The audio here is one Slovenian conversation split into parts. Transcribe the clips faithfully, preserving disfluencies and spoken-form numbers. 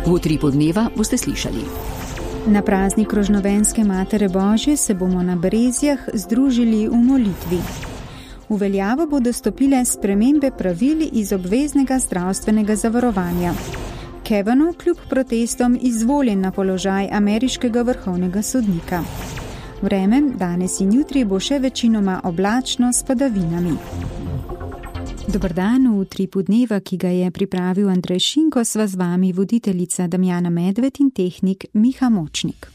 V utripu dneva boste slišali. Na praznik Rožnovenske Matere Božje se bomo na Brezjah združili v molitvi. V veljavo bodo stopile spremembe pravil iz obveznega zdravstvenega zavarovanja. Kavanaugh kljub protestom izvoljen na položaj ameriškega vrhovnega sodnika. Vreme danes in jutri bo še večinoma oblačno s padavinami. Dober dan, v utripu dneva, ki ga je pripravil Andrej Šinko, sva z vami voditeljica Damjana Medved in tehnik Miha Močnik.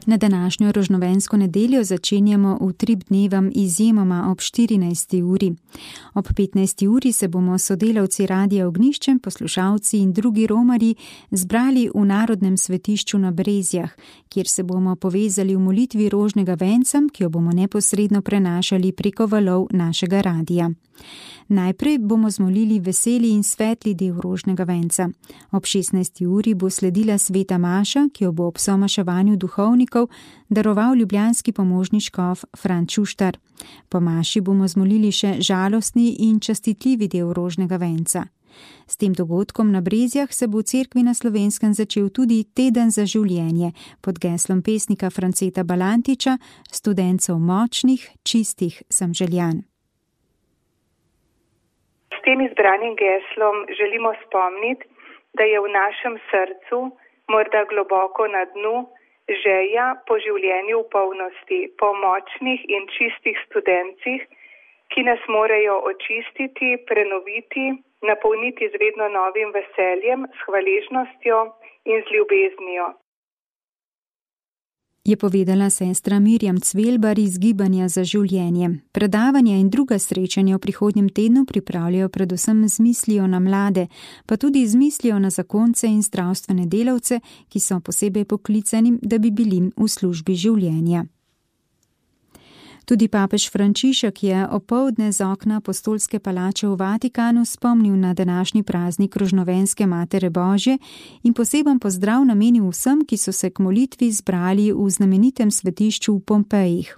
Na današnjo rožnovensko nedeljo začenjamo utrip dnevom izjemoma ob štirinajsti uri. Ob petnajsti uri se bomo sodelavci Radia Ognjišče, poslušalci in drugi romarji zbrali v Narodnem svetišču na Brezjah, kjer se bomo povezali v molitvi rožnega venca, ki jo bomo neposredno prenašali preko valov našega radija. Najprej bomo zmolili veseli in svetli del rožnega venca. Ob šestnajsti uri bo sledila sveta maša, ki jo bo ob somaševanju duhovnikov daroval ljubljanski pomožni škof Fran Čuštar. Po maši bomo zmolili še žalostni in častitljivi del rožnega venca. S tem dogodkom na Brezjah se bo v cerkvi na Slovenskem začel tudi teden za življenje pod geslom pesnika Franceta Balantiča, Studencev močnih, čistih sem željan. S tem izbranim geslom želimo spomniti, da je v našem srcu, morda globoko na dnu, želja po življenju v polnosti, po močnih in čistih studencih, ki nas morajo očistiti, prenoviti, napolniti z vedno novim veseljem, s hvaležnostjo in z ljubeznijo. Je povedala sestra Mirjam Cvelbar iz Gibanja za življenje. Predavanja in druga srečanja v prihodnjem tednu pripravljajo predvsem z mislijo na mlade, pa tudi z mislijo na zakonce in zdravstvene delavce, ki so posebej poklicani, da bi bili v službi življenja. Tudi papež Frančišek je opoldne z okna apostolske palače v Vatikanu spomnil na današnji praznik Rožnovenske Matere Božje in poseben pozdrav namenil vsem, ki so se k molitvi zbrali v znamenitem svetišču v Pompejih.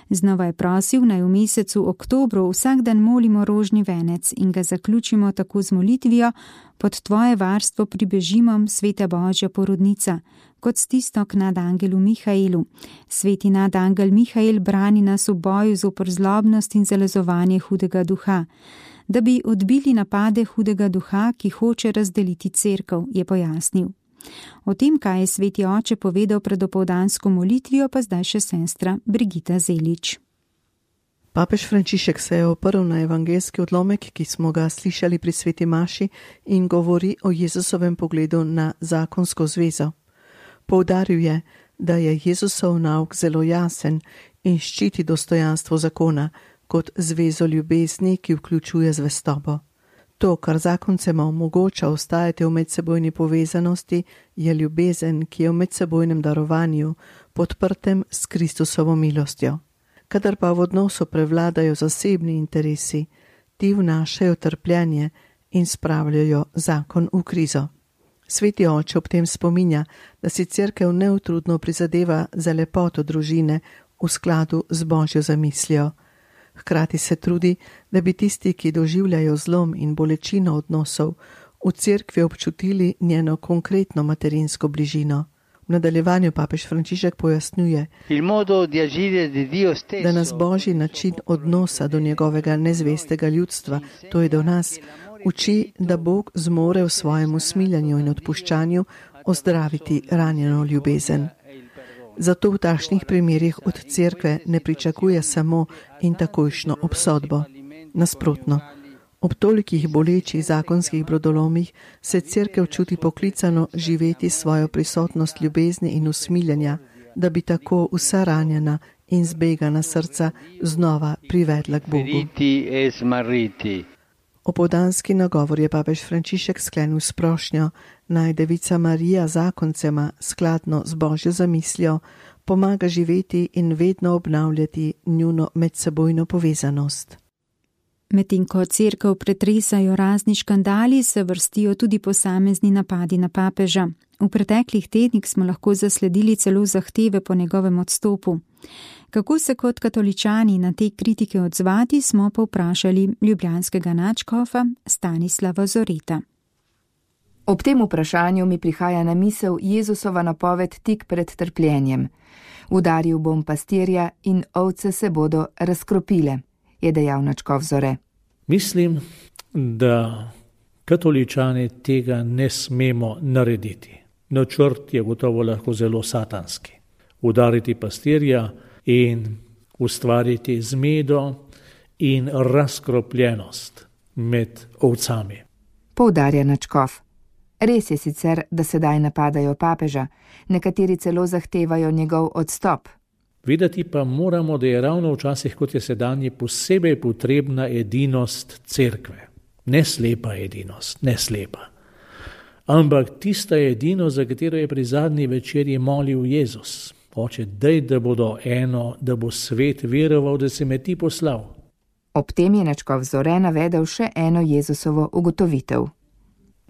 Znova je prosil, naj v mesecu oktobru vsak dan molimo rožni venec in ga zaključimo tako z molitvijo: pod tvoje varstvo pribežimo, sveta Božja porodnica, kot s tisto k nadangelu Mihaelu. Sveti nadangel Mihael brani nas v boju zoper zlobnost in zalezovanje hudega duha, da bi odbili napade hudega duha, ki hoče razdeliti cerkev, je pojasnil. O tem, kaj je sveti oče povedal pred opoldansko molitvijo, pa zdaj še sestra Brigita Zelič. Papež Frančišek se je oprl na evangeljski odlomek, ki smo ga slišali pri sveti maši, in govori o Jezusovem pogledu na zakonsko zvezo. Poudaril je, da je Jezusov nauk zelo jasen in ščiti dostojanstvo zakona kot zvezo ljubezni, ki vključuje zvestobo. To, kar zakoncema omogoča ostajati v medsebojni povezanosti, je ljubezen, ki je v medsebojnem darovanju, podprtem s Kristusovo milostjo. Kadar pa v odnosu prevladajo zasebni interesi, ti vnašajo trpljenje in spravljajo zakon v krizo. Sveti oče ob tem spominja, da si cerkev neutrudno prizadeva za lepoto družine v skladu z Božjo zamislijo. Hkrati se trudi, da bi tisti, ki doživljajo zlom in bolečino odnosov, v cerkvi občutili njeno konkretno materinsko bližino. V nadaljevanju papež Frančišek pojasnjuje, da nas Božji način odnosa do njegovega nezvestega ljudstva, to je do nas, uči, da Bog zmore v svojem usmiljanju in odpuščanju ozdraviti ranjeno ljubezen. Zato v takšnih primerih od cerkve ne pričakuje samo in takojšno obsodbo. Nasprotno, ob tolikih bolečih zakonskih brodolomih se cerkev čuti poklicano živeti svojo prisotnost ljubezni in usmiljanja, da bi tako vsa ranjena in zbegana srca znova privedla k Bogu. Opoldanski nagovor je papež Frančišek sklenil s prošnjo, naj Devica Marija zakoncema skladno z Božjo zamislijo pomaga živeti in vedno obnavljati njuno medsebojno povezanost. Medtem ko cerkev pretresajo razni škandali, se vrstijo tudi posamezni napadi na papeža. V preteklih tednih smo lahko zasledili celo zahteve po njegovem odstopu. Kako se kot katoličani na te kritike odzvati, smo pa vprašali ljubljanskega nadškofa Stanislava Zoreta. Ob tem vprašanju mi prihaja na misel Jezusova napoved tik pred trpljenjem. Udaril bom pastirja in ovce se bodo razkropile, je dejal nadškof Zore. Mislim, da katoličani tega ne smemo narediti. Načrt je gotovo lahko zelo satanski. Udariti pastirja in ustvariti zmedo in razkropljenost med ovcami. Poudarja nadškof. Res je sicer, da sedaj napadajo papeža, nekateri celo zahtevajo njegov odstop. Vedeti pa moramo, da je ravno včasih, kot je sedanji, posebej potrebna edinost cerkve. Ne slepa edinost, ne slepa. Ampak tista edinost, za katero je pri zadnji večerji molil Jezus. Oče, daj, da bodo eno, da bo svet veroval, da si me ti poslal. Ob tem je nadškof Zore navedel še eno Jezusovo ugotovitev.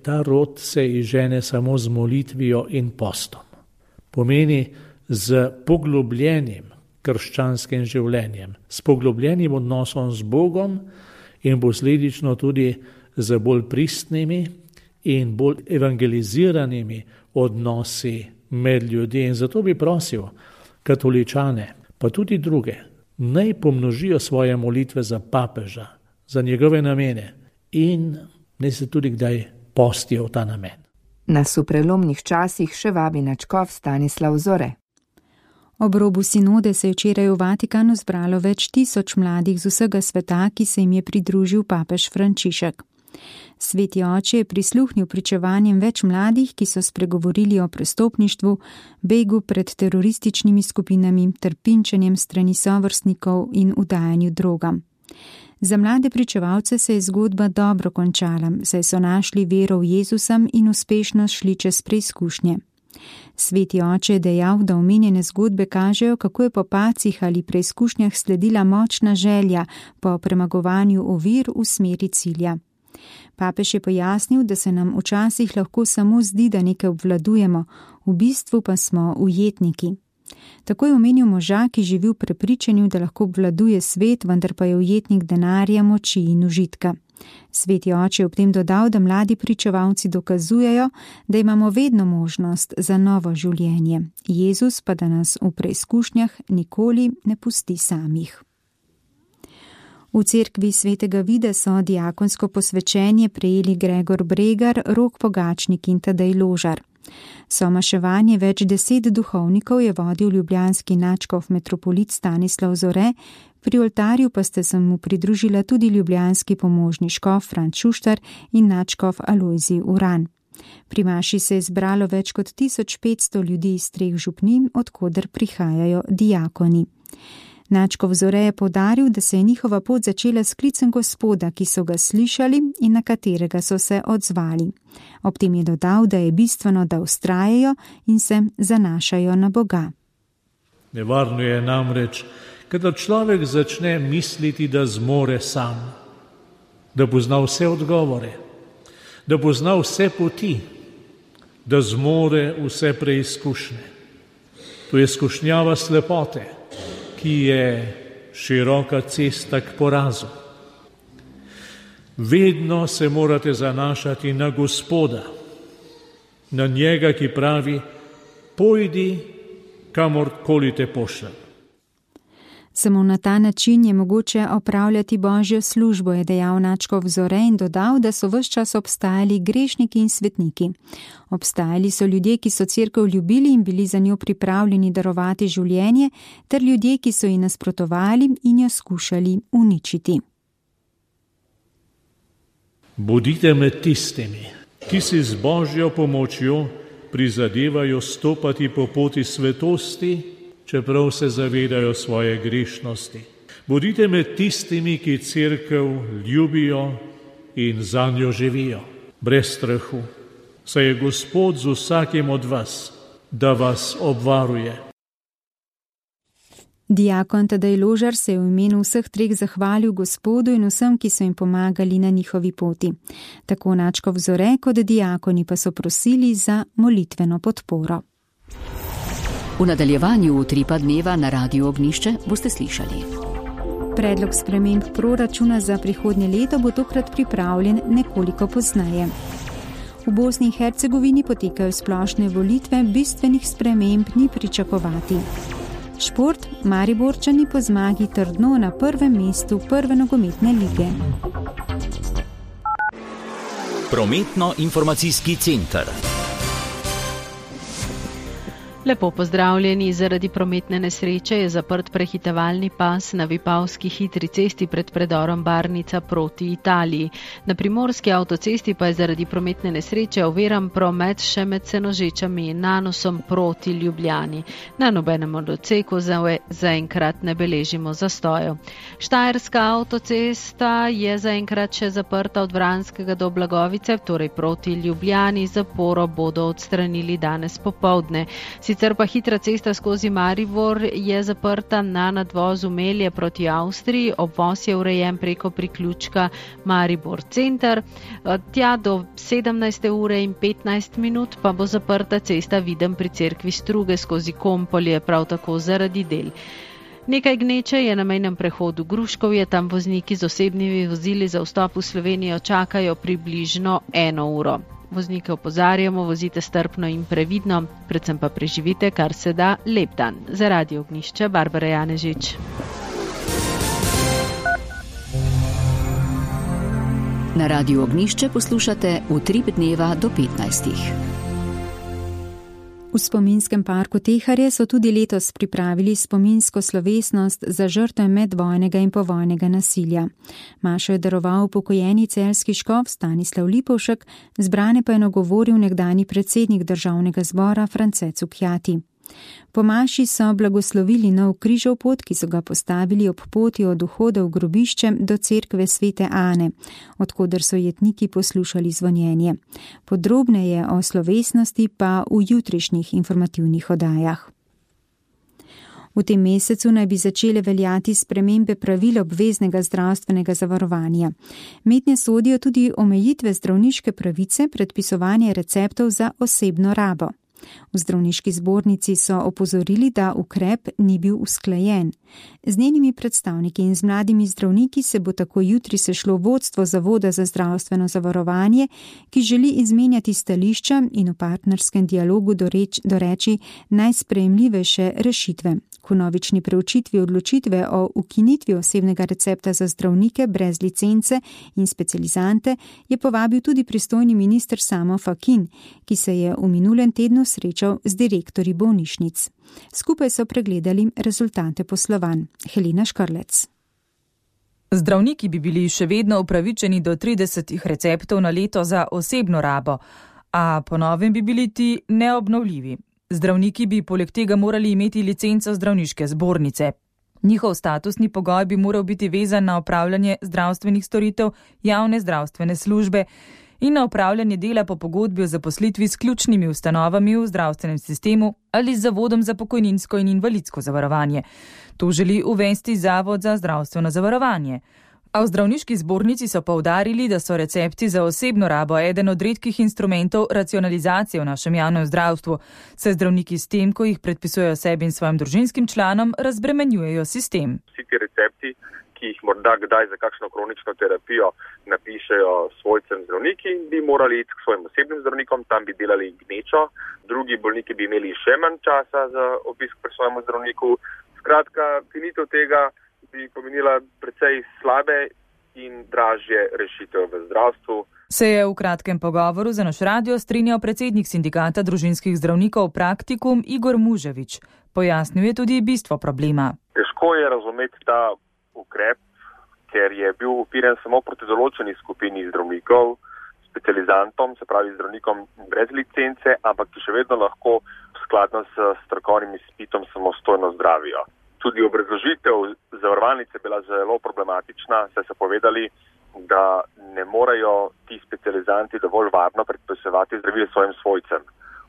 Ta rod se izžene samo z molitvijo in postom. Pomeni z poglobljenim krščanskim življenjem, s poglobljenim odnosom z Bogom in posledično tudi z bolj pristnimi in bolj evangeliziranimi odnosi med ljudmi. In zato bi prosil katoličane, pa tudi druge, naj pomnožijo svoje molitve za papeža, za njegove namene in naj se tudi kdaj postijo v ta namen. Nas v prelomnih časih še vabi nadškof Stanislav Zore. Ob robu sinode se je včeraj v Vatikanu zbralo več tisoč mladih z vsega sveta, ki se jim je pridružil papež Frančišek. Sveti oče je prisluhnil pričevanjem več mladih, ki so spregovorili o prestopništvu, begu pred terorističnimi skupinami, trpinčenjem strani sovrstnikov in udajanju drogam. Za mlade pričevalce se je zgodba dobro končala, saj so našli vero v Jezusa in uspešno šli čez preizkušnje. Sveti oče je dejal, da omenjene zgodbe kažejo, kako je po pacih ali preizkušnjah sledila močna želja po premagovanju ovir v smeri cilja. Papež je pojasnil, da se nam včasih lahko samo zdi, da nekaj obvladujemo, v bistvu pa smo ujetniki. Tako je omenil moža, ki živi v prepričanju, da lahko obvladuje svet, vendar pa je ujetnik denarja, moči in užitka. Sveti oče je ob tem dodal, da mladi pričevalci dokazujejo, da imamo vedno možnost za novo življenje. Jezus pa da nas v preizkušnjah nikoli ne pusti samih. V cerkvi svetega Vida so diakonsko posvečenje prejeli Gregor Bregar, Rok Pogačnik in Tadej Ložar. Somaševanje več deset duhovnikov je vodil ljubljanski nadškof metropolit Stanislav Zore, pri oltarju pa ste se mu pridružila tudi ljubljanski pomožni škof Franc Šuštar in nadškof Alojzij Uran. Pri maši se je zbralo več kot tisoč petsto ljudi iz treh župnin, od koder prihajajo diakoni. Nadškof Zore je poudaril, da se je njihova pot začela s klicem Gospoda, ki so ga slišali in na katerega so se odzvali. Ob tem je dodal, da je bistveno, da vztrajajo in se zanašajo na Boga. Nevarno je namreč, kadar človek začne misliti, da zmore sam, da pozna vse odgovore, da pozna vse poti, da zmore vse preizkušnje. To je skušnjava slepote, ki je široka cesta k porazu. Vedno se morate zanašati na Gospoda, na njega, ki pravi, pojdi kamorkoli te pošljem. Samo na ta način je mogoče opravljati Božjo službo, je dejal nadškof Zore in dodal, da so ves čas obstajali grešniki in svetniki. Obstajali so ljudje, ki so cerkev ljubili in bili za njo pripravljeni darovati življenje, ter ljudje, ki so ji nasprotovali in jo skušali uničiti. Bodite med tistimi, ki si z Božjo pomočjo prizadevajo stopati po poti svetosti, čeprav se zavedajo svoje grešnosti. Bodite med tistimi, ki cerkev ljubijo in zanjo živijo, brez strahu, saj je Gospod z vsakim od vas, da vas obvaruje. Diakon Tadej Ložar se je v imenu vseh treh zahvalil Gospodu in vsem, ki so jim pomagali na njihovi poti. Tako Načkov Zore kot diakoni pa so prosili za molitveno podporo. V nadaljevanju Utripa dneva na Radiu Ognišče boste slišali. Predlog sprememb proračuna za prihodnje leto bo tokrat pripravljen nekoliko pozneje. V Bosni in Hercegovini potekajo splošne volitve, bistvenih sprememb ni pričakovati. Šport, Mariborčani po zmagi trdno na prvem mestu prve nogometne lige. Prometno-informacijski center. Lepo pozdravljeni. Zaradi prometne nesreče je zaprt prehitevalni pas na Vipavski hitri cesti pred predorom Barnica proti Italiji. Na primorski avtocesti pa je zaradi prometne nesreče oviran promet še med Senožečami in Nanosom proti Ljubljani. Na nobenem od odsekov zaenkrat ne beležimo zastojev. Štajerska avtocesta je zaenkrat še zaprta od Vranskega do Blagovice, torej proti Ljubljani. Zaporo bodo odstranili danes popoldne. Sicer pa hitra cesta skozi Maribor je zaprta na nadvozu Melje proti Avstriji, obvoz je urejen preko priključka Maribor center. Tja do sedemnajste ure in petnajst minut pa bo zaprta cesta Videm pri cerkvi Struge skozi Kompolje, prav tako zaradi del. Nekaj gneče je na mejnem prehodu Gruškovje, tam vozniki z osebnimi vozili za vstop v Slovenijo čakajo približno eno uro. Voznike opozarjamo, vozite strpno in previdno, predvsem pa preživite kar se da lep dan. Za Radio Ognišče, Barbara Janežič. Na Radiu Ognišče poslušate Utrip dneva do petnajstih. V spominskem parku Teharje so tudi letos pripravili spominsko slovesnost za žrtve medvojnega in povojnega nasilja. Mašo je daroval pokojeni celjski škof Stanislav Lipovšek, zbrane pa je nagovoril nekdani predsednik državnega zbora France Cukjati. Po maši so blagoslovili nov križov pot, ki so ga postavili ob poti od vhoda v grobišče do cerkve Svete Ane, odkoder so jetniki poslušali zvonjenje. Podrobneje o slovesnosti pa v jutrišnjih informativnih oddajah. V tem mesecu naj bi začele veljati spremembe pravil obveznega zdravstvenega zavarovanja. Mednje sodijo tudi omejitve zdravniške pravice, predpisovanje receptov za osebno rabo. V zdravniški zbornici so opozorili, da ukrep ni bil usklajen. Z njenimi predstavniki in z mladimi zdravniki se bo tako jutri sešlo vodstvo Zavoda za zdravstveno zavarovanje, ki želi izmenjati stališča in v partnerskem dialogu doreč, doreči najsprejemljivejše rešitve. K vnovični preučitvi odločitve o ukinitvi osebnega recepta za zdravnike brez licence in specializante je povabil tudi pristojni minister Samo Fakin, ki se je v minulem tednu srečal z direktorji bolnišnic. Skupaj so pregledali rezultate poslovanj. Helena Škrlec. Zdravniki bi bili še vedno upravičeni do trideset receptov na leto za osebno rabo, a po novem bi bili ti neobnovljivi. Zdravniki bi poleg tega morali imeti licenco zdravniške zbornice. Njihov statusni pogoj bi moral biti vezan na opravljanje zdravstvenih storitev javne zdravstvene službe in na opravljanje dela po pogodbi o zaposlitvi s ključnimi ustanovami v zdravstvenem sistemu ali z Zavodom za pokojninsko in invalidsko zavarovanje. To želi uvesti Zavod za zdravstveno zavarovanje. A v zdravniški zbornici so poudarili, da so recepti za osebno rabo eden od redkih instrumentov racionalizacije v našem javnem zdravstvu, saj zdravniki s tem, ko jih predpisujejo sebi in svojim družinskim članom, razbremenjujejo sistem. Vsi ti recepti, ki jih morda kdaj za kakšno kronično terapijo napišejo svojcem zdravniki, bi morali iti k svojim osebnim zdravnikom, tam bi delali gnečo, drugi bolniki bi imeli še manj časa za obisk pri svojem zdravniku. Skratka, finitev tega bi pomenila precej slabe in dražje rešitev v zdravstvu. Se je v kratkem pogovoru za naš radio strinjal predsednik sindikata družinskih zdravnikov Praktikum Igor Muževič. Pojasnil je tudi bistvo problema. Težko je razumeti ta ukrep, ker je bil upiren samo proti določeni skupini zdravnikov, specializantom, se pravi zdravnikom brez licence, ampak ki še vedno lahko skladno s strokovnim izpitom samostojno zdravijo. Tudi obrazložitev zavarovalnice je bila zelo problematična, saj so povedali, da ne morejo ti specializanti dovolj varno predpisovati zdravil svojim svojcem.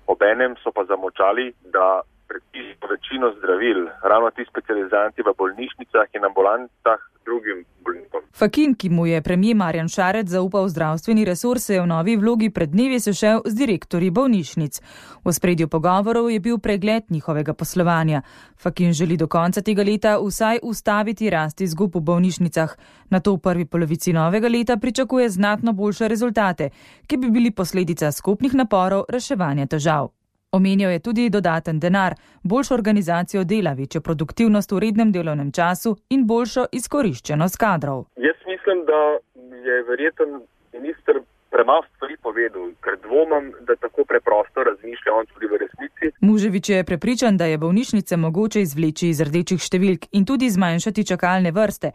Obenem so pa zamočali, da predpišemo večino zdravil, ravno ti specializanti v bolnišnicah in ambulantah drugim bolnikom. Fakin, ki mu je premijer Marjan Šarec zaupal zdravstveni resurs, se je v novi vlogi pred dnevi sešel z direktorji bolnišnic. V ospredju pogovorov je bil pregled njihovega poslovanja. Fakin želi do konca tega leta vsaj ustaviti rast izgub v bolnišnicah. Nato v prvi polovici novega leta pričakuje znatno boljše rezultate, ki bi bili posledica skupnih naporov reševanja težav. Omenjal je tudi dodaten denar, boljšo organizacijo dela, večjo produktivnost v rednem delovnem času in boljšo izkoriščenost kadrov. Jaz mislim, da je verjeten minister premalo stvari povedal, ker dvomim, da tako preprosto razmišlja on tudi v resnici. Muževič je prepričan, da je bolnišnice mogoče izvleči iz rdečih številk in tudi zmanjšati čakalne vrste.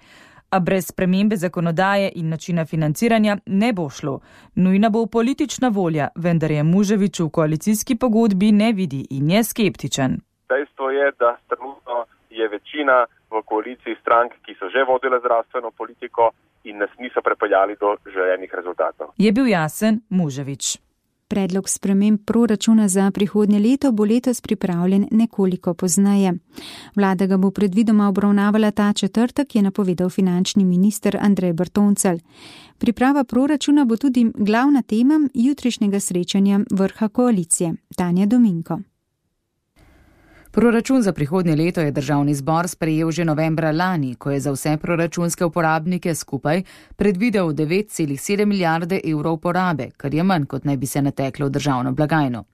A brez spremembe zakonodaje in načina financiranja ne bo šlo. Nujna bo politična volja, vendar je Muževič v koalicijski pogodbi ne vidi in je skeptičen. Dejstvo je, da trenutno je večina v koaliciji strank, ki so že vodile zdravstveno politiko in nas niso prepeljali do želenih rezultatov. Je bil jasen Muževič. Predlog sprememb proračuna za prihodnje leto bo letos pripravljen nekoliko pozneje. Vlada ga bo predvidoma obravnavala ta četrtek, je napovedal finančni minister Andrej Bertoncelj. Priprava proračuna bo tudi glavna tema jutrišnjega srečanja vrha koalicije. Tanja Dominko. Proračun za prihodnje leto je državni zbor sprejel že novembra lani, ko je za vse proračunske uporabnike skupaj predvidel devet celih sedem milijarde evrov porabe, kar je manj, kot naj bi se nateklo v državno blagajno.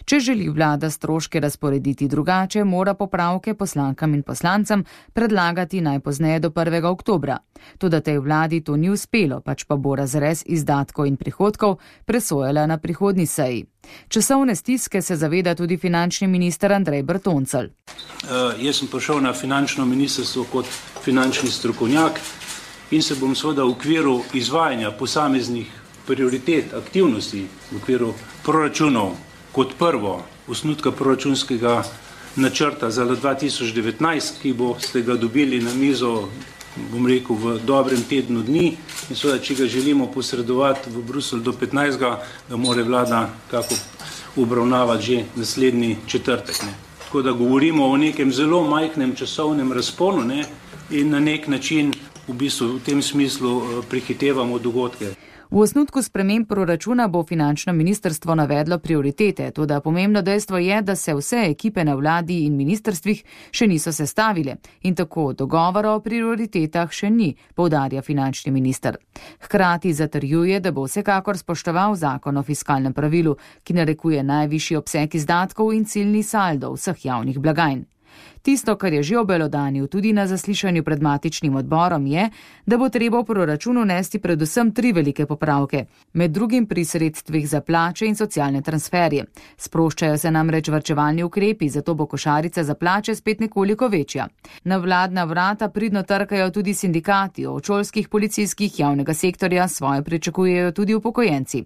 Če želi vlada stroške razporediti drugače, mora popravke poslankam in poslancem predlagati najpozneje do prvega oktobra. Toda tej vladi to ni uspelo, pač pa bo razrez izdatkov in prihodkov presojala na prihodnji seji. Časovne stiske se zaveda tudi finančni minister Andrej Bertoncelj. Uh, jaz sem prišel na finančno ministrstvo kot finančni strokovnjak in se bom seveda v okviru izvajanja posameznih prioritet, aktivnosti, v okviru proračunov, kot prvo osnutka proračunskega načrta za leto dva tisoč devetnajst, ki boste ga dobili na mizo, bom rekel, v dobrem tednu dni in seveda, če ga želimo posredovati v Bruselj do petnajstega, da mora vlada kako obravnavati že naslednji četrtek. Ne. Tako da govorimo o nekem zelo majhnem časovnem razponu, ne, in na nek način v bistvu v tem smislu prehitevamo dogodke. V osnutku sprememb proračuna bo finančno ministrstvo navedlo prioritete, toda pomembno dejstvo je, da se vse ekipe na vladi in ministrstvih še niso sestavile in tako dogovora o prioritetah še ni, poudarja finančni minister. Hkrati zatrjuje, da bo vsekakor spoštoval zakon o fiskalnem pravilu, ki narekuje najvišji obseg izdatkov in ciljni saldo vseh javnih blagajn. Tisto, kar je že obelodanil tudi na zaslišanju pred matičnim odborom, je, da bo treba v proračunu nesti predvsem tri velike popravke, med drugim pri sredstvih za plače in socialne transferje. Sproščajo se namreč varčevalni ukrepi, zato bo košarica za plače spet nekoliko večja. Na vladna vrata pridno trkajo tudi sindikati, od šolskih, policijskih, javnega sektorja svoje pričakujejo tudi upokojenci.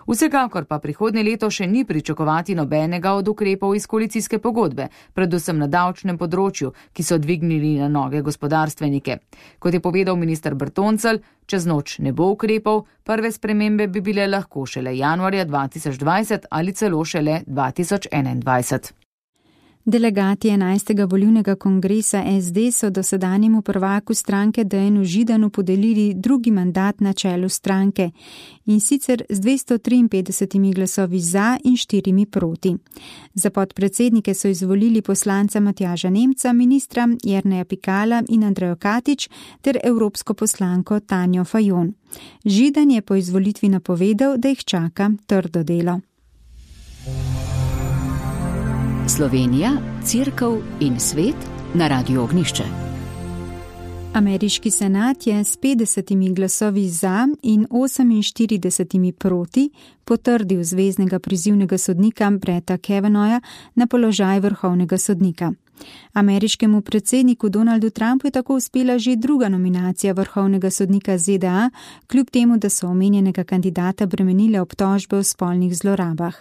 Vsekakor pa prihodnje leto še ni pričakovati nobenega od ukrepov iz koalicijske pogodbe, predvsem na davčnem področju, ki so dvignili na noge gospodarstvenike. Kot je povedal minister Bertoncelj, čez noč ne bo ukrepov, prve spremembe bi bile lahko šele januarja dva tisoč dvajset ali celo šele dva tisoč enaindvajset. Delegati enajstega volilnega kongresa S D so dosedanjemu prvaku stranke Dejanu Židanu podelili drugi mandat na čelu stranke in sicer z dvesto triinpetdeset glasovi za in štirimi proti. Za podpredsednike so izvolili poslanca Matjaža Nemca, ministra Jerneja Pikala in Andrejo Katič ter evropsko poslanko Tanjo Fajon. Židan je po izvolitvi napovedal, da jih čaka trdo delo. Slovenija, Cerkev in svet na Radiu Ognišče. Ameriški senat je s petdesetimi glasovi za in oseminštiridesetimi proti potrdil zveznega prizivnega sodnika Bretta Kavanagha na položaj vrhovnega sodnika. Ameriškemu predsedniku Donaldu Trumpu je tako uspela že druga nominacija vrhovnega sodnika Z D A, kljub temu, da so omenjenega kandidata bremenile obtožbe o spolnih zlorabah.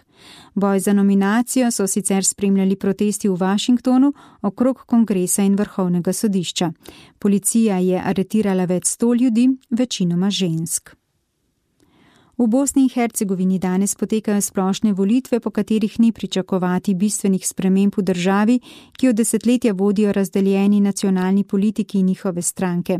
Boj za nominacijo so sicer spremljali protesti v Washingtonu okrog kongresa in vrhovnega sodišča. Policija je aretirala več sto ljudi, večinoma žensk. V Bosni in Hercegovini danes potekajo splošne volitve, po katerih ni pričakovati bistvenih sprememb v državi, ki jo desetletja vodijo razdeljeni nacionalni politiki in njihove stranke.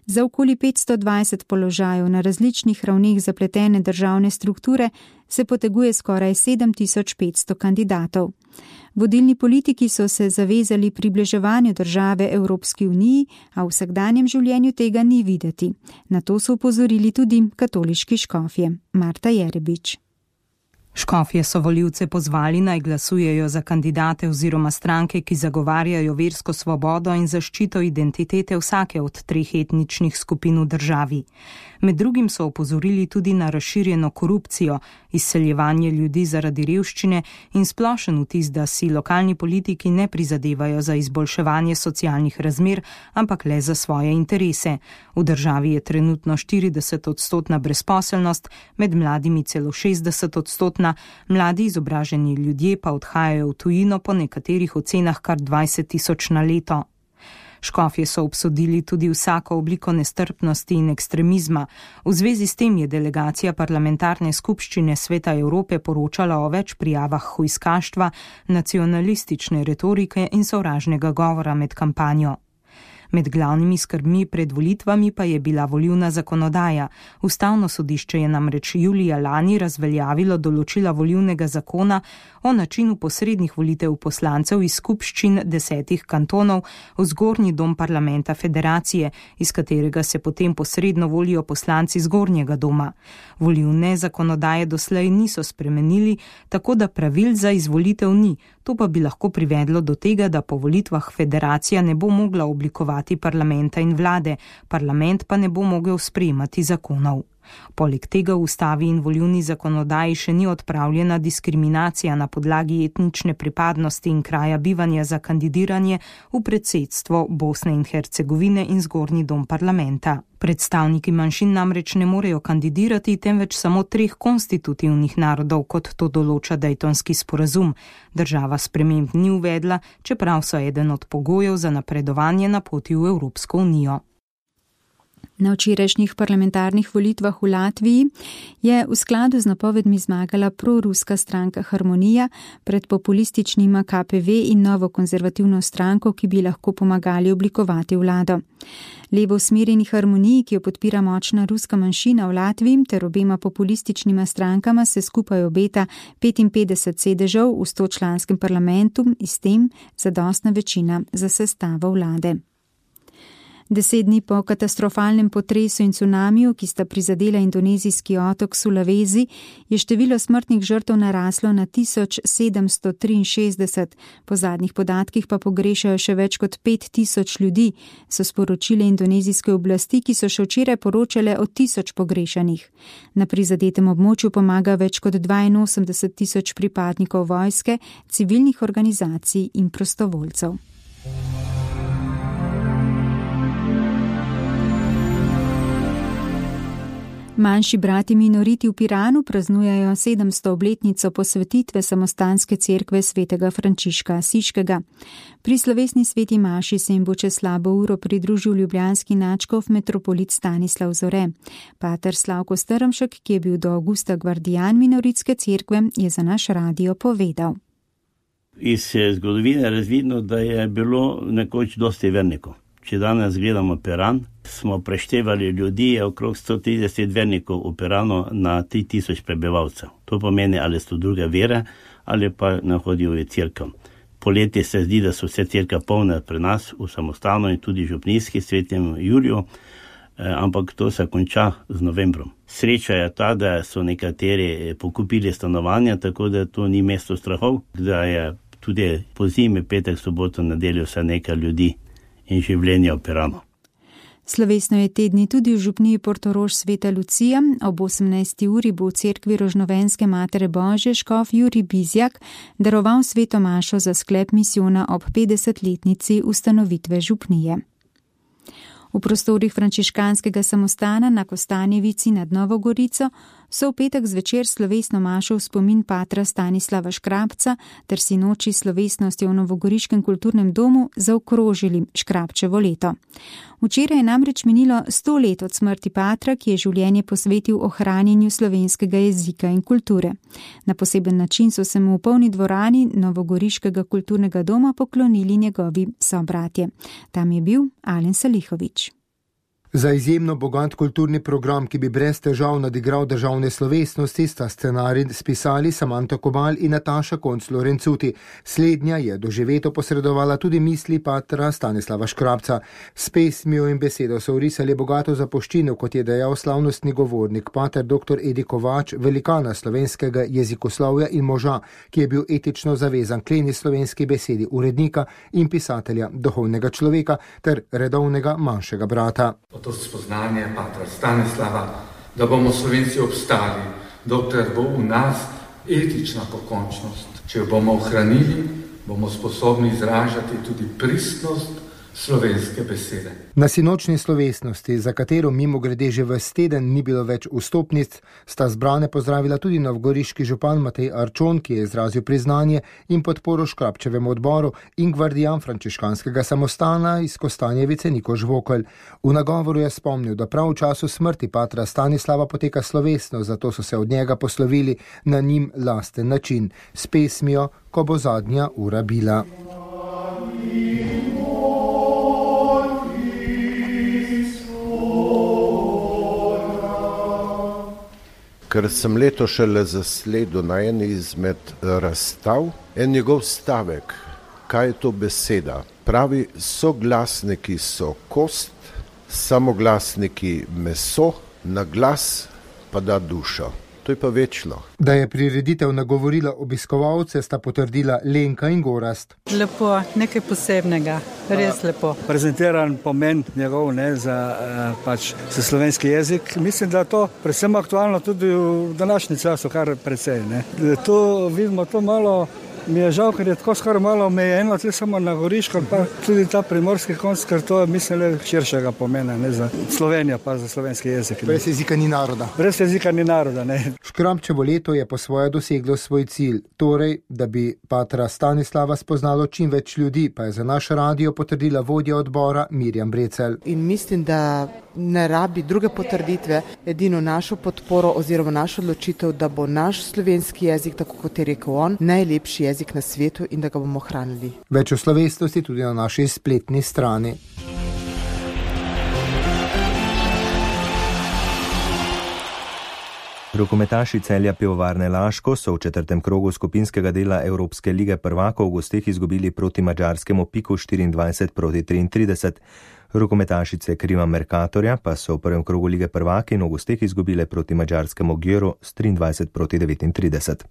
Za okoli petsto dvajset položajev na različnih ravneh zapletene državne strukture se poteguje skoraj sedem tisoč petsto kandidatov. Vodilni politiki so se zavezali približevanju države Evropski uniji, a v vsakdanjem življenju tega ni videti. Na to so upozorili tudi katoliški škofje. Marta Jerebič. Škofje so volivce pozvali naj glasujejo za kandidate oziroma stranke, ki zagovarjajo versko svobodo in zaščito identitete vsake od treh etničnih skupin v državi. Med drugim so opozorili tudi na razširjeno korupcijo, izseljevanje ljudi zaradi revščine in splošen vtis, da si lokalni politiki ne prizadevajo za izboljševanje socialnih razmer, ampak le za svoje interese. V državi je trenutno štirideset odstotna brezposelnost, med mladimi celo šestdeset odstotna, mladi izobraženi ljudje pa odhajajo v tujino po nekaterih ocenah kar dvajset tisoč na leto. Škofje so obsodili tudi vsako obliko nestrpnosti in ekstremizma. V zvezi s tem je delegacija parlamentarne skupščine Sveta Evrope poročala o več prijavah hujskaštva, nacionalistične retorike in sovražnega govora med kampanjo. Med glavnimi skrbmi pred volitvami pa je bila volilna zakonodaja. Ustavno sodišče je namreč julija lani razveljavilo določila volilnega zakona o načinu posrednih volitev poslancev iz skupščin desetih kantonov v zgornji dom parlamenta federacije, iz katerega se potem posredno volijo poslanci zgornjega doma. Volilne zakonodaje doslej niso spremenili, tako da pravil za izvolitev ni. To pa bi lahko privedlo do tega, da po volitvah federacija ne bo mogla oblikovati parlamenta in vlade, parlament pa ne bo mogel sprejemati zakonov. Poleg tega v ustavi in volilni zakonodaji še ni odpravljena diskriminacija na podlagi etnične pripadnosti in kraja bivanja za kandidiranje v predsedstvo Bosne in Hercegovine in zgornji dom parlamenta. Predstavniki manjšin namreč ne morejo kandidirati, temveč samo treh konstitutivnih narodov, kot to določa Daytonski sporazum. Država sprememb ni uvedla, čeprav so eden od pogojev za napredovanje na poti v Evropsko unijo. Na včerajšnjih parlamentarnih volitvah v Latviji je v skladu z napovedmi zmagala proruska stranka Harmonija pred populističnima K P V in novo konzervativno stranko, ki bi lahko pomagali oblikovati vlado. Levo usmerjeni Harmoniji, ki jo podpira močna ruska manjšina v Latviji, ter obema populističnima strankama se skupaj obeta petinpetdeset sedežev v stočlanskem parlamentu in s tem zadostna večina za sestavo vlade. Deset dni po katastrofalnem potresu in cunamiju, ki sta prizadela indonezijski otok Sulawesi, je število smrtnih žrtev naraslo na tisoč sedemsto triinšestdeset. Po zadnjih podatkih pa pogrešajo še več kot pet tisoč ljudi, so sporočile indonezijske oblasti, ki so še včeraj poročale o tisoč pogrešanih. Na prizadetem območju pomaga več kot dvainosemdeset tisoč pripadnikov vojske, civilnih organizacij in prostovoljcev. Manjši brati minoriti v Piranu praznujejo sedemsto obletnico posvetitve samostanske cerkve svetega Frančiška Asiškega. Pri slovesni sveti maši se jim bo čez slabo uro pridružil ljubljanski nadškof metropolit Stanislav Zore. Pater Slavko Strmšek, ki je bil do avgusta gvardijan minoritske cerkve, je za naš radio povedal. Iz zgodovine je razvidno, da je bilo nekoč dosti vernikov. Če danes gledamo Piran, smo preštevali ljudi, je okrog sto trideset vernikov v Piranu na tri tisoč prebivalcev. To pomeni, ali so druge vere, ali pa ne hodijo v cerkev. Poleti se zdi, da so vse cerkve polne pri nas, v samostanu in tudi župnijski svetem Juliju, ampak to se konča z novembrom. Sreča je ta, da so nekateri pokupili stanovanja, tako da to ni mesto strahov, da je tudi po zimi, petek, soboto, nedeljo vse nekaj ljudi in življenja v Piranu. Slovesno je te dni tudi v župniji Portorož Sveta Lucija. Ob osemnajsti uri bo v cerkvi Rožnovenske Matere Božje škof Jurij Bizjak daroval sveto mašo za sklep misijona ob petdesetletnici ustanovitve župnije. V prostorih frančiškanskega samostana na Kostanjevici nad Novo Gorico so v petek zvečer slovesno mašo v spomin patra Stanislava Škrabca ter sinoči slovesnosti v Novogoriškem kulturnem domu zaokrožili Škrabčevo leto. Včeraj je namreč minilo sto let od smrti patra, ki je življenje posvetil ohranjanju slovenskega jezika in kulture. Na poseben način so se mu v polni dvorani Novogoriškega kulturnega doma poklonili njegovi sobratje. Tam je bil Alen Salihović. Za izjemno bogat kulturni program, ki bi brez težav nadigral državne slovesnosti, sta scenarij spisali Samanta Kobal in Nataša Konc-Lorencuti. Slednja je doživeto posredovala tudi misli patra Stanislava Škrabca. S pesmijo in besedo so vrisali bogato zapuščino, kot je dejal slavnostni govornik pater doktor Edi Kovač, velikana slovenskega jezikoslovja in moža, ki je bil etično zavezan k kleni slovenski besedi, urednika in pisatelja, duhovnega človeka ter redovnega manjšega brata. To spoznanje patra Stanislava, da bomo Slovenci obstali, dokler bo v nas etična pokončnost. Če jo bomo ohranili, bomo sposobni izražati tudi pristnost slovenske besede. Na sinočni slovesnosti, za katero mimo grede že ves teden ni bilo več vstopnic, sta zbrane pozdravila tudi novogoriški župan Matej Arčon, ki je izrazil priznanje in podporo Škrabčevemu odboru, in gvardijan frančiškanskega samostana iz Kostanjevice Niko Žvokelj. V nagovoru je spomnil, da prav v času smrti patra Stanislava poteka slovesno, zato so se od njega poslovili na njim lasten način, s pesmijo Ko bo zadnja ura bila. Ker sem leto šele zasledil na eni izmed razstav, en njegov stavek, kaj je to beseda, pravi, soglasniki so kost, samoglasniki meso, na glas pa da dušo. To je pa večno. Da je prireditev nagovorila obiskovalce, sta potrdila Lenka in Gorast. Lepo, nekaj posebnega, res lepo. Prezentiran pomen njegov ne, za, pač, za slovenski jezik. Mislim, da je to predvsem aktualno tudi v današnji času, kar precej. Ne. To vidimo to malo, mi je žal, ker je tako skoraj malo omejeno, tudi samo na Goriško, pa tudi ta primorski konc, ker to je, mislim, le širšega pomena, ne, za Slovenijo, pa za slovenski jezik. Ne. Brez jezika ni naroda. Brez jezika ni naroda, ne. Škrabčevo leto je po svoje doseglo svoj cilj, torej, da bi patra Stanislava spoznalo čim več ljudi, pa je za naš radio potrdila vodja odbora Mirjam Brecelj. In mislim, da ne rabi druge potrditve, edino našo podporo oziroma našo odločitev, da bo naš slovenski jezik, tako kot je rekel on, najlepši jezik na svetu in da ga bomo hranili. Več o slovesnosti tudi na naši spletni strani. Rokometaši Celja Pivovarne Laško so v četrtem krogu skupinskega dela Evropske lige prvakov v gosteh izgubili proti madžarskemu Piku štiriindvajset proti triintrideset. Rokometašice Krima Mercatorja pa so v prvem krogu lige prvaki v gosteh izgubile proti madžarskemu Gjöru s triindvajset proti devetintrideset.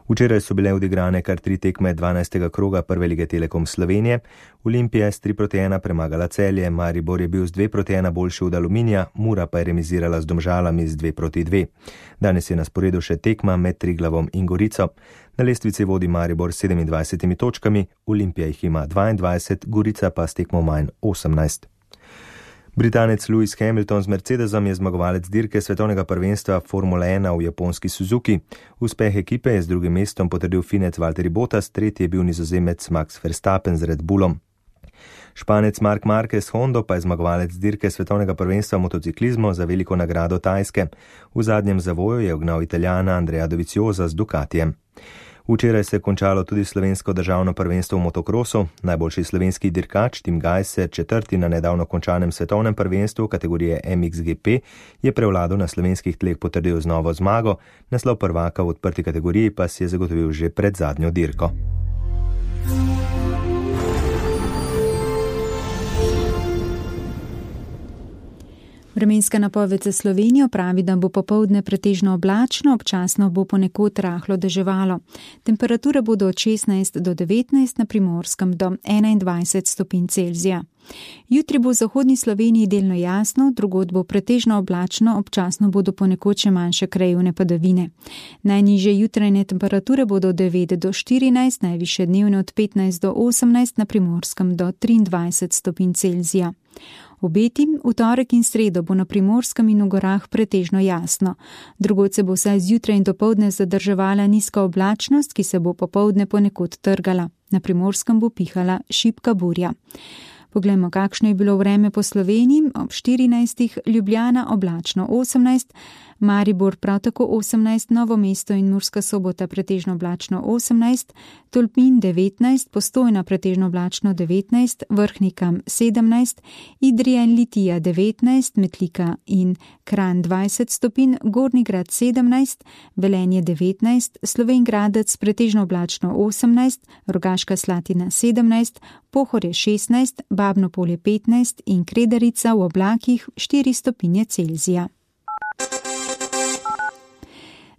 Včeraj so bile odigrane kar tri tekme dvanajstega kroga prve lige Telekom Slovenije. Olimpija je s tri proti ena premagala Celje, Maribor je bil z dve proti ena boljši od Aluminija, Mura pa je remizirala z Domžalami z dve proti dve. Danes je na sporedu še tekma med Triglavom in Gorico. Na lestvici vodi Maribor s sedemindvajsetimi točkami, Olimpija jih ima dvaindvajset, Gorica pa s tekmo manj osemnajst. Britanec Lewis Hamilton z Mercedesom je zmagovalec dirke svetovnega prvenstva Formula ena v japonski Suzuki. Uspeh ekipe je z drugim mestom potrdil Finec Valtteri Bottas, tretji je bil Nizozemec Max Verstappen z Red Bullom. Španec Marc Marquez Hondo pa je zmagovalec dirke svetovnega prvenstva motociklizmu za veliko nagrado Tajske. V zadnjem zavoju je ugnal Italijana Andrea Doviziosa z Ducatijem. Včeraj se je končalo tudi slovensko državno prvenstvo v motokrosu. Najboljši slovenski dirkač Tim Gajser, četrti na nedavno končanem svetovnem prvenstvu kategorije M X G P, je prevlado na slovenskih tleh potrdil z novo zmago, naslov prvaka v odprti kategoriji pa si je zagotovil že pred zadnjo dirko. Vremenska napoved za Slovenijo pravi, da bo popoldne pretežno oblačno, občasno bo ponekod rahlo deževalo. Temperature bodo od šestnajst do devetnajst, na Primorskem do enaindvajset stopinj Celzija. Jutri bo v zahodni Sloveniji delno jasno, drugod bo pretežno oblačno, občasno bodo ponekod še manjše krajevne padavine. Najnižje jutranje temperature bodo od devet do štirinajst, najvišje dnevne od petnajst do osemnajst, na Primorskem do triindvajset stopinj Celzija. Obeti v torek in sredo bo na Primorskem in v gorah pretežno jasno. Drugod se bo vsaj zjutraj in dopoldne zadrževala nizka oblačnost, ki se bo popoldne ponekod trgala. Na Primorskem bo pihala šibka burja. Poglejmo, kakšno je bilo vreme po Sloveniji. Ob štirinajstih Ljubljana oblačno osemnajst, Maribor prav tako osemnajst, Novo mesto in Murska Sobota pretežno oblačno osemnajst, Tolmin devetnajst, Postojna pretežno oblačno devetnajst, Vrhnika sedemnajst, Idrija in Litija devetnajst, Metlika in Kranj dvajset stopinj, Gornji Grad sedemnajst, Velenje devetnajst, Slovenj Gradec pretežno oblačno osemnajst, Rogaška Slatina sedemnajst, Pohorje šestnajst, Babno Polje petnajst in Kredarica v oblakih štiri stopinje Celzija.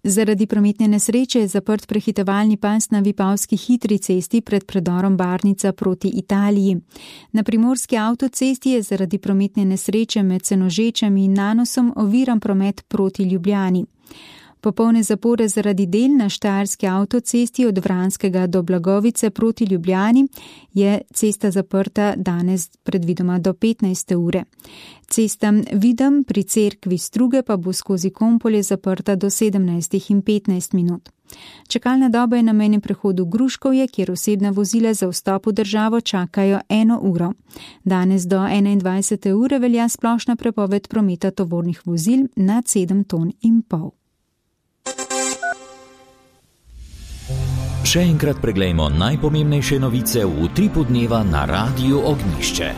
Zaradi prometne nesreče je zaprt prehitevalni pas na Vipavski hitri cesti pred predorom Barnica proti Italiji. Na Primorski avtocesti je zaradi prometne nesreče med Senožečem in Nanosom oviran promet proti Ljubljani. Popolne zapore zaradi del na Štajerski avtocesti od Vranskega do Blagovice proti Ljubljani je cesta zaprta danes predvidoma do petnajste ure. Cesta Videm pri cerkvi Struge pa bo skozi Kompolje zaprta do sedemnajstih in petnajst minut. Čakalna doba je na mejnem prehodu Gruškovje, kjer osebna vozila za vstop v državo čakajo eno uro. Danes do enaindvajsete ure velja splošna prepoved prometa tovornih vozil nad sedem ton in pol. Še enkrat preglejmo najpomembnejše novice v utripu dneva na Radiu Ognjišče.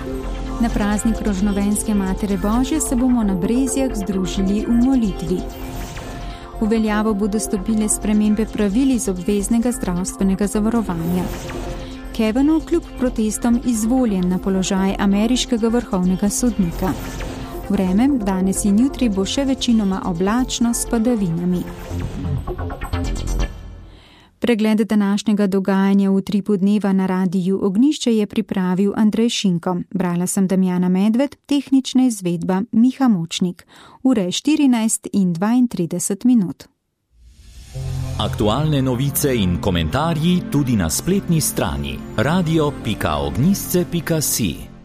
Na praznik Rožnovenske Matere Božje se bomo na Brezjah združili v molitvi. V veljavo bodo stopile spremembe pravil iz obveznega zdravstvenega zavarovanja. Kavanaugh kljub protestom izvoljen na položaj ameriškega vrhovnega sodnika. Vreme danes in jutri bo še večinoma oblačno s padavinami. Pregled današnjega dogajanja v utripu dneva na Radiju Ognjišče je pripravil Andrej Šinko. Brala sem Damjana Medved, tehnična izvedba Miha Močnik. Ure štirinajst in dvaintrideset minut. Aktualne novice in komentarji tudi na spletni strani radio pika ognjišče pika si.